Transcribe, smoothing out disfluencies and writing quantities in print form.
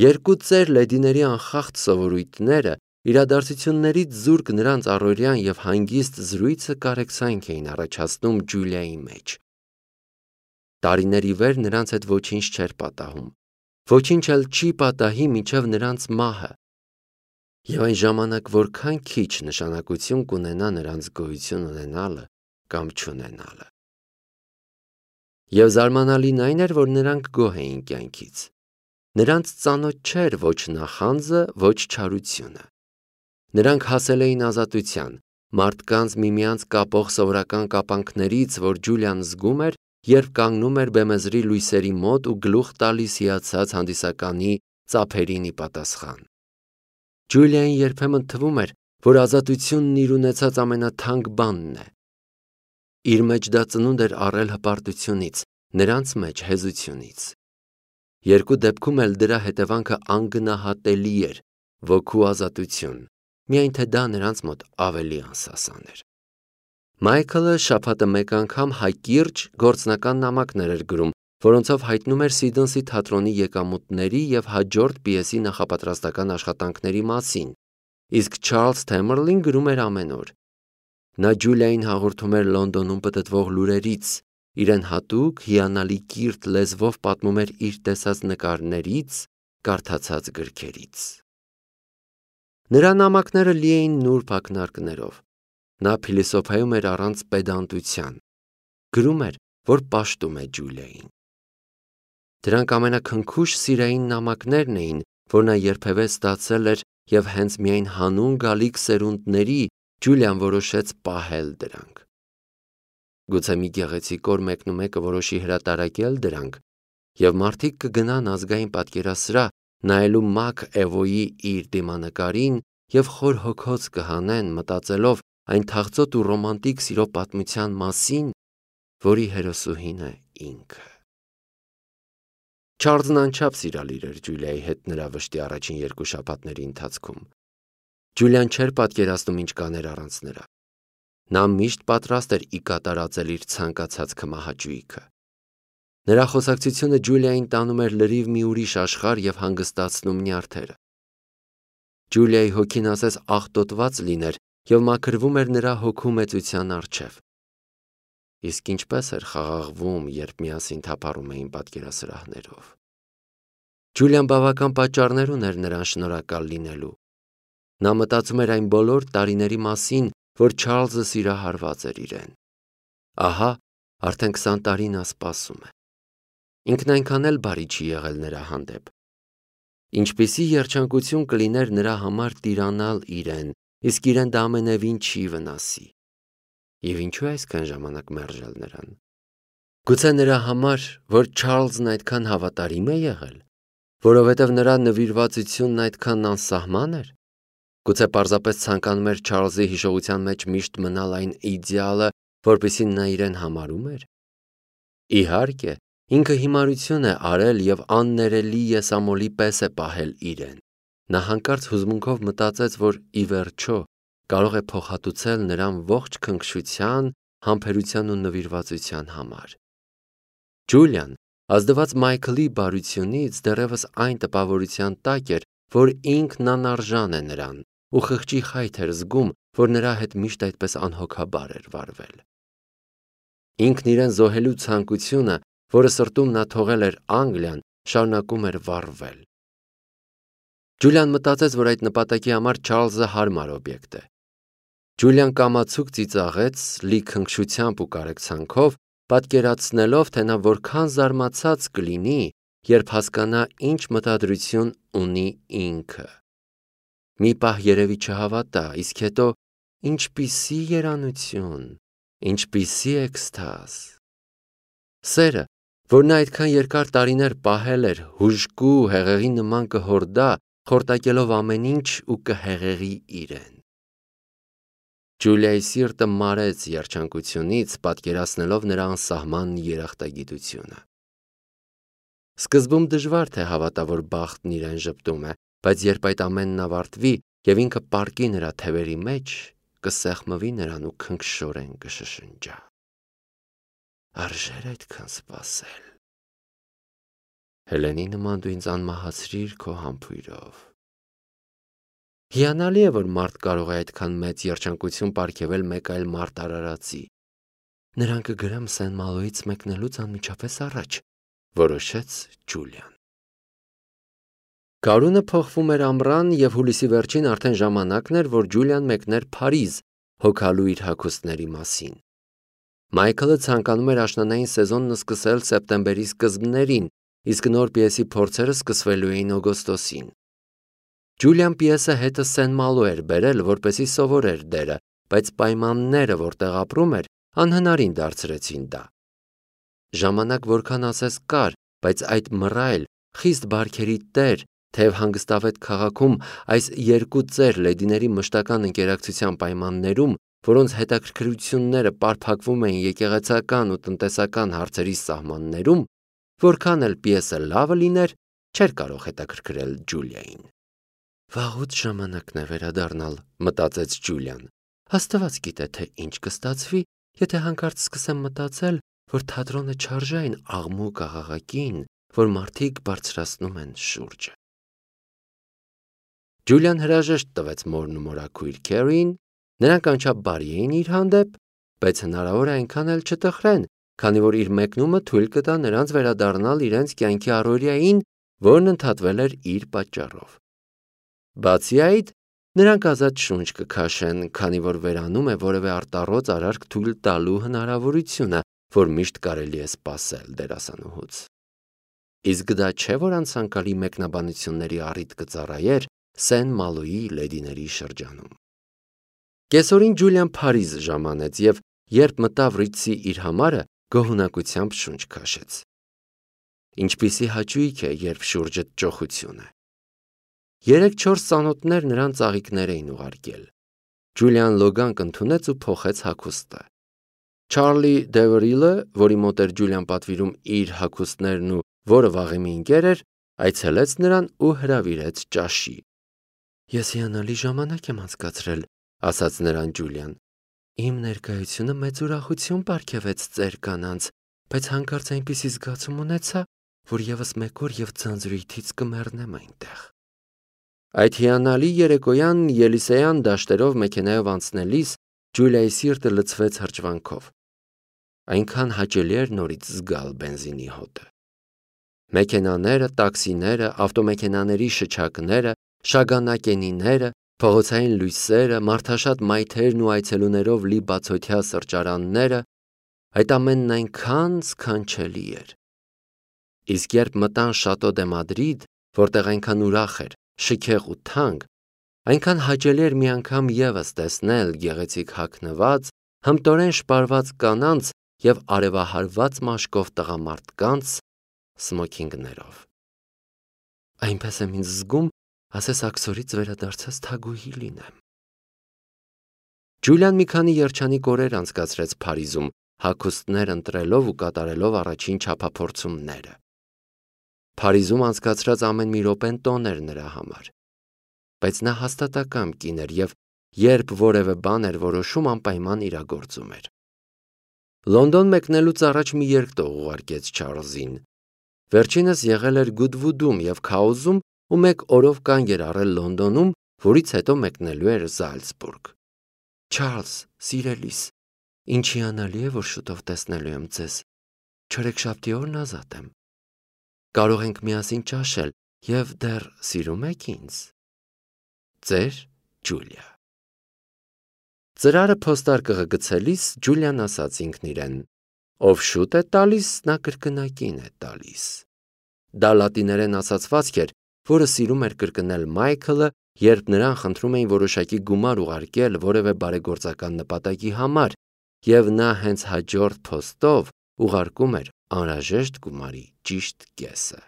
Երկու ծեր լեդիների անխախտ սովորույթները, իրադարձություններից զուրկ նրանց առօրյան և հանգիստ զրույցը կարեկցանք էին առաջացնում Ջուլիայի մեջ։ Տարիներ ի վեր նրանց հետ ոչինչ չէր պատահում, ոչինչ էլ չի պատահի մինչև նրանց մահը, և այն ժամանակ որքան քիչ նշանակություն կունենա նրանց գոյություն ունենալը կամ չունենալը։ Եվ զարմանալին այն էր, որ նրանք գոհ էին կյանքից։ Նրանց ծանոթ չէր ոչ նախանձը, ոչ չարությունը։ Նրանք հասել էին ազատության, մարդկանց միմյանց կապող սովորական կապանքներից, որ Ջուլիան զգում էր, երբ կանգնում էր բեմեզրի լույսերի մոտ ու գլուխ տալիս հիացած հանդիսականի ծափերին ի պատասխան։ Ջուլիային երբեմն թվում էր, որ ազատությունն իր ունեցած ամենաթանկ բանն է։ Իր մեջ դա ծնունդ էր առել հպարտությունից, նրանց մեջ հեզությունից։ Երկու դեպքում էլ դրա հետևանքը անգնահատելի էր, ոգու ազատություն, միայն թե դա նրանց մոտ ավելի անսասան էր։ Մայքլը շաբաթը մեկ անգամ հակիրճ գործնական նամակներ էր գրում, որոնցով հայտնում էր Սիդնսի թատրոնի եկամուտների և հաջորդ պիեսի նախապատրաստական աշխատանքների մասին, իսկ Չարլզ Թեմերլին գրում էր ամեն օր։ Նա Ջուլիային հաղորդում էր Լոնդոնում պտտվող լուրերից, իրեն հատուկ հիանալի կիրթ լեզվով պատմում էր իր տեսած նկարներից, կարդացած գրքերից։ Նրա նամակները լի էին նուրբ ակնարկներով։ Նա փիլիսոփայում էր առանց պեդանտության, գրում էր, որ պաշտում է Ջուլիային։ Դրանք ամենաքնքուշ սիրային նամակներն էին, որ նա երբևէ ստացել էր, և հենց միայն հանուն գալիք սերունդների Ջուլիան որոշեց պահել դրանք։ Գուցե մի գեղեցիկ օր մեկնումեկը որոշի հրատարակել դրանք, և մարդիկ կգնան Ազգային պատկերասրահ նայելու Մաք Էվոյի իր դիմանկարին և խոր հոգոց կհանեն, մտածելով այն թախծոտ ու ռոմանտիկ սիրո պատմության մասին, որի հերոսուհին է ինքը։ Չարլզն անչափ սիրալիր էր Ջուլիայի հետ նրա վշտի առաջին երկու շաբաթների ընթացքում։ Ջուլիան չէր պատկերացնում ինչ կաներ առանց նրա։ Նա միշտ պատրաստ էր ի կատարածել իր ցանկացած քմահաճույքը։ Նրա խոսակցությունը Ջուլիային տանում էր լրիվ մի ուրիշ աշխարհ և հանգստացնում նյարդերը։ Ջուլիայի հոգին ասես աղտոտված լիներ և մաքրվում էր նրա հոգու մեծության առջև։ Իսկ ինչպես էր խաղաղվում, երբ միասին թափառում էին պատկերասրահներով։ Ջուլիան բավական պատճառներ ուներ նրան շնորհակալ լինելու։ Նա մտածում էր այն բոլոր տարիների մասին, որ Չարլզը սիրահարված էր իրեն։ Ահա, արդեն 20 տարի նա սպասում է։ Ինքն այնքան էլ բարի չի եղել նրա հանդեպ։ Ինչպիսի երջանկություն կլիներ նրա համար տիրանալ իրեն, իսկ իրեն դա ամենևին չի վնասի։ Եվ ինչու է այսքան ժամանակ մերժել նրան։ Գուցե նրա համար, որ Չարլզն այդքան հավատարիմ է եղել, որովհետև նրա նվիրվածությունն այդքան անսահման էր։ Գուցե պարզապես ցանկանում էր Չարլզի հիշողության մեջ միշտ մնալ այն իդեալը, որպեսզի նա իրեն համարում էր։ Իհարկե, ինքը հիմարություն է արել և աններելի եսամոլի պես է պահել իրեն։ Նա հանկարծ հուզմունքով մտածեց, որ ի վերջո կարող է փոխհատուցել նրան ողջ քնքշության, համբերության ու նվիրվածության համար։ Ջուլիան, ազդված Մայքլի բարությունից, դեռևս այն տպավորության տակ էր, որ ինքն անարժան է նրան ու խղճի խայթ էր զգում, որ նրա հետ միշտ այդպես անհոգաբար էր վարվել։ Ինքն իրեն զոհելու ցանկությունը, որը սրտում նա թողել էր Անգլիան, շարունակում էր վառվել։ Ջուլիան մտածեց, որ այդ նպատակի համար Չարլզը հարմար օբյեկտ է։ Ջուլիան կամացուկ ծիծաղեց, լի քնքշությամբ ու կարեկցանքով, պատկերացնելով, թե նա որքան զարմացած կլինի, երբ հասկանա, ինչ մտադրություն ունի ինքը։ Մի պահ երևի չհավատա, իսկ հետո ինչպիսի երանություն, ինչպիսի էքստազ։ Սերը, որ նա այդքան երկար տարիներ պահել էր, հուժկու հեղեղի նման կհորդա, խորտակելով ամեն ինչ ու կհեղեղի իրեն։ Ջուլիայի սիրտը մարեց երջանկությունից, պատկերացնելով նրա անսահման երախտագիտությունը։ Սկզբում դժվար թե հավատա, որ բախտն իրեն ժպտում է, բայց երբ այդ ամենն ավարտվի և ինքը պառկի նրա թևերի մեջ, կսեղմվի նրան ու քնքշորեն կշշնջա. Արժե՞ր այդքան սպասել։ Հելենի նման դու ինձ անմահացրիր քո համբույրով։ Հիանալի է, որ մարդ կարող է այդքան մեծ երջանկություն պարգևել մեկ այլ մարդ արարածի։ Նրան կգրեմ Սեն Մալոյից մեկնելուց անմիջապես առաջ, որոշեց Ջուլիան։ Գարունը փոխվում էր ամռան, և հուլիսի վերջին արդեն ժամանակն էր, որ Ջուլիան մեկներ Փարիզ, հոգալու իր հագուստների մասին։ Մայքլը ցանկանում էր աշնանային սեզոնն սկսել սեպտեմբերի սկզբներին, իսկ նոր պիեսի փորձերը սկսվելու էին օգոստոսին։ Ջուլիան պիեսը հետը Սեն Մալո էր բերել, որպեսզի սովորեր դերը, բայց պայմանները, որտեղ ապրում էր, անհնարին դարձրեցին դա։ Ժամանակ որքան ասես կար, բայց այդ մռայլ, խիստ բարքերի տեր, թեև հանգստավետ քաղաքում այս երկու ծեր լեդիների մշտական ընկերակցության պայմաններում, որոնց հետաքրքրությունները պարփակվում էին եկեղեցական ու տնտեսական հարցերի սահմաններում, որքան էլ պիեսը լավը լիներ, չէր կարող հետաքրքրել Ջուլիային։ Վաղուց ժամանակն է վերադառնալ, մտածեց Ջուլիան։ Աստված գիտե, թե ինչ կստացվի, եթե հանկարծ սկսեմ մտածել, որ թատրոնը չարժե այն աղմուկ աղաղակին, որ մարդիկ բարձրացնում են շուրջը։ Ջուլիան հրաժեշտ տվեց մորն ու մորաքույր Քերին, նրանք անչափ բարի էին իր հանդեպ, բայց հնարավոր է այնքան էլ չտխրեն, քանի որ իր մեկնումը թույլ կտա նրանց վերադառնալ իրենց կյանքի առօրյային, որն ընդհատվել էր իր պատճառով։ Բացի այդ, նրանք ազատ շունչ կքաշեն, քանի որ վերանում է որևէ արտառոց արարք թույլ տալու հնարավորությունը, որ միշտ կարելի է սպասել դերասանուհուց։ Իսկ դա չէ, որ անցանկալի մեկնաբանությունների առիթ կծառայեր Սեն Մալոյի լեդիների շրջանում։ Կեսօրին Ջուլիան Փարիզ ժամանեց և, երբ մտավ Ռիցի իր համարը, գոհունակությամբ շունչ քաշեց։ Ինչպիսի հաճույք է, երբ շուրջդ ճոխություն է։ 3-4 ծանոթներ նրան ծաղիկներ էին ուղարկել։ Ջուլիան լոգանք ընդունեց ու փոխեց հագուստը։ Չարլի Դևերիլը, որի մոտ էր Ջուլիան պատվիրում իր հագուստներն ու որը վաղեմի ընկեր էր, այցելեց նրան ու հրավիրեց ճաշի։ Ես հիանալի ժամանակ եմ անցկացրել, ասաց նրան Ջուլիան։ Իմ ներկայությունը մեծ ուրախություն պարգևեց ծեր կանանց, բայց հանկարծ այնպիսի զգացում ունեցա, որ ևս մեկ օր և ձանձրույթից կմեռնեմ այնտեղ։ Այդ հիանալի երեկոյան Ելիսեյան դաշտերով մեքենայով անցնելիս Ջուլիայի սիրտը լցվեց հրճվանքով։ Այնքան հաճելի էր նորից զգալ բենզինի հոտը։ Մեքենաները, տաքսիները, ավտոմեքենաների շչակները, շագանակենիները, փողոցային լույսերը, մարդաշատ մայթերն ու այցելուներով լի բացօթյա սրճարանները, այդ ամենն այնքան սքանչելի էր։ Իսկ երբ մտան Շատո դե Մադրիդ, որտեղ այնքան ուրախ էր, շքեղ ու թանկ, այնքան հաճելի էր մի անգամ ևս տեսնել գեղեցիկ հագնված, հմտորեն շպարված կանանց և արևահարված մաշկով տղամարդկանց սմոքինգներով։ Այնպես եմ ինձ զգում, ասես աքսորից վերադարձած թագուհի լինեմ։ Ջուլիան մի քանի երջանիկ օրեր անցկացրեց Փարիզում, հագուստներ ընտրելով ու կատարելով առաջին չափափորձումները։ Փարիզում անցկացրած ամեն մի րոպեն տոն էր նրա համար։ Բայց նա հաստատակամ կին էր և երբ որևէ բան էր որոշում, անպայման իրագործում էր։ Լոնդոն մեկնելուց առաջ մի երկտող ուղարկեց Չարլզին։ Վերջինս եղել էր Գուդվուդում և Քաուզում ու մեկ օրով կանգ էր առել Լոնդոնում, որից հետո մեկնելու էր Զալցբուրգ։ Չարլզ, սիրելիս, ինչ հիանալի է, որ շուտով տեսնելու եմ ձեզ։ Չորեքշաբթի օրն ազատ եմ։ Կարող ենք միասին ճաշել և դեռ սիրում եք ինձ։ Ձեր Ջուլիա։ Ծրարը փոստարկղը գցելիս Ջուլիան ասաց ինքն իրեն. ով շուտ է տալիս, նա կրկնակին է տալիս։ Դա լատիներեն ասացվածք էր, որը սիրում էր կրկնել Մայքլը, երբ նրան խնդրում էին որոշակի գումար ուղարկել որևէ բարեգործական նպատակի համար, և նա հենց հաջորդ փոստով ուղարկում էր անհրաժեշտ գումարի ճիշտ կեսը։